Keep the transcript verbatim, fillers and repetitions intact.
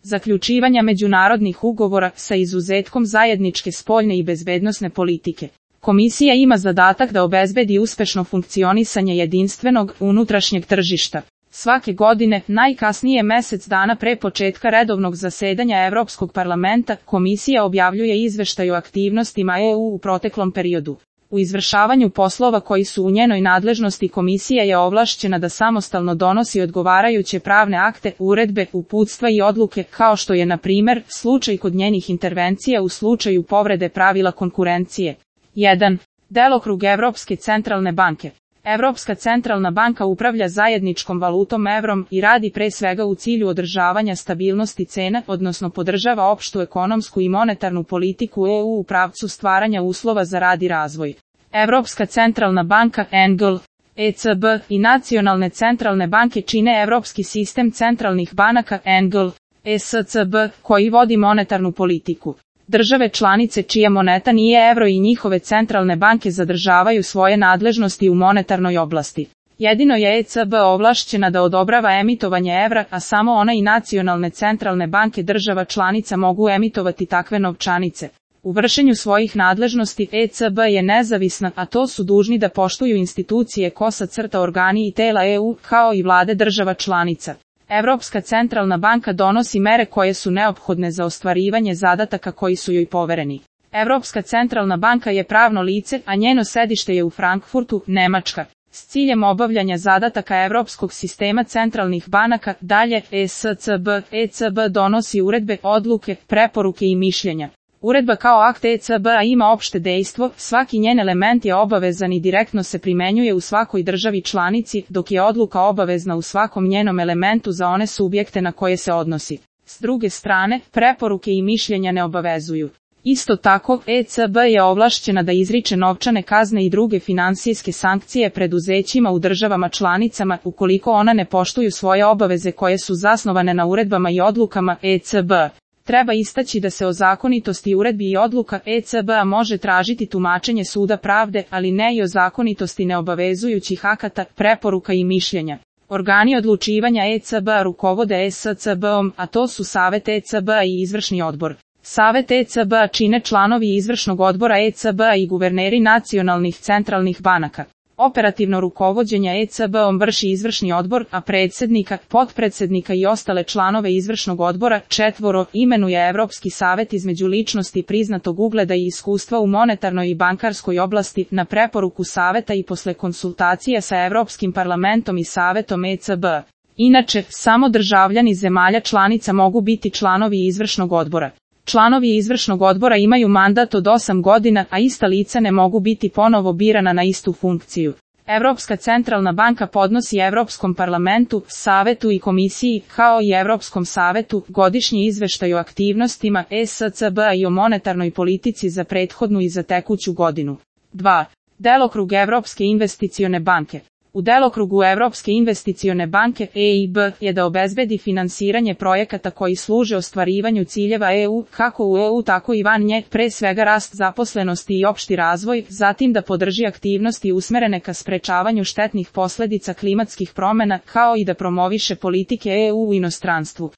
zaključivanja međunarodnih ugovora sa izuzetkom zajedničke spoljne i bezbednosne politike. Komisija ima zadatak da obezbedi uspešno funkcionisanje jedinstvenog unutrašnjeg tržišta. Svake godine, najkasnije mesec dana pre početka redovnog zasedanja Evropskog parlamenta, Komisija objavljuje izveštaj o aktivnostima E U u proteklom periodu. U izvršavanju poslova koji su u njenoj nadležnosti Komisija je ovlašćena da samostalno donosi odgovarajuće pravne akte, uredbe, uputstva i odluke, kao što je, na primer, slučaj kod njenih intervencija u slučaju povrede pravila konkurencije. jedan. Delokrug Evropske centralne banke. Evropska centralna banka upravlja zajedničkom valutom evrom i radi pre svega u cilju održavanja stabilnosti cena, odnosno podržava opštu ekonomsku i monetarnu politiku E U u pravcu stvaranja uslova za rad i razvoj. Evropska centralna banka E N G L, E C B i nacionalne centralne banke čine Evropski sistem centralnih banaka E N G L, E S C B, koji vodi monetarnu politiku. Države članice čija moneta nije evro i njihove centralne banke zadržavaju svoje nadležnosti u monetarnoj oblasti. Jedino je E C B ovlašćena da odobrava emitovanje evra, a samo ona i nacionalne centralne banke država članica mogu emitovati takve novčanice. U vršenju svojih nadležnosti E C B je nezavisna, a to su dužni da poštuju institucije kosa crta organi i tela E U, kao i vlade država članica. Evropska centralna banka donosi mere koje su neophodne za ostvarivanje zadataka koji su joj povereni. Evropska centralna banka je pravno lice, a njeno sedište je u Frankfurtu, Nemačka. S ciljem obavljanja zadataka Evropskog sistema centralnih banaka, dalje, E S C B, E C B donosi uredbe, odluke, preporuke i mišljenja. Uredba kao akt E C B-a ima opšte dejstvo, svaki njen element je obavezan i direktno se primenjuje u svakoj državi članici, dok je odluka obavezna u svakom njenom elementu za one subjekte na koje se odnosi. S druge strane, preporuke i mišljenja ne obavezuju. Isto tako, E C B je ovlašćena da izriče novčane kazne i druge finansijske sankcije preduzećima u državama članicama, ukoliko ona ne poštuju svoje obaveze koje su zasnovane na uredbama i odlukama E C B. Treba istaći da se o zakonitosti uredbi i odluka E C B-a može tražiti tumačenje suda pravde, ali ne i o zakonitosti neobavezujućih akata, preporuka i mišljenja. Organi odlučivanja E C B-a rukovode E S C B-om, a to su Savet E C B-a i Izvršni odbor. Savet E C B-a čine članovi Izvršnog odbora E C B-a i guverneri nacionalnih centralnih banaka. Operativno rukovođenje E C B-om vrši Izvršni odbor, a predsjednika, potpredsjednika i ostale članove Izvršnog odbora, četvoro, imenuje Evropski savet između ličnosti priznatog ugleda i iskustva u monetarnoj i bankarskoj oblasti, na preporuku saveta i posle konsultacija sa Evropskim parlamentom i savetom E C B-a. Inače, samo državljani zemalja članica mogu biti članovi Izvršnog odbora. Članovi Izvršnog odbora imaju mandat od osam godina, a ista lica ne mogu biti ponovo birana na istu funkciju. Evropska centralna banka podnosi Evropskom parlamentu, Savetu i Komisiji, kao i Evropskom savetu, godišnji izveštaj o aktivnostima E S C B-a i o monetarnoj politici za prethodnu i za tekuću godinu. dva. Delokrug Evropske investicione banke. U delokrugu Evropske investicione banke E I B je da obezbedi finansiranje projekata koji služe ostvarivanju ciljeva E U, kako u E U tako i van nje, pre svega rast zaposlenosti i opšti razvoj, zatim da podrži aktivnosti usmerene ka sprečavanju štetnih posledica klimatskih promena, kao i da promoviše politike E U u inostranstvu.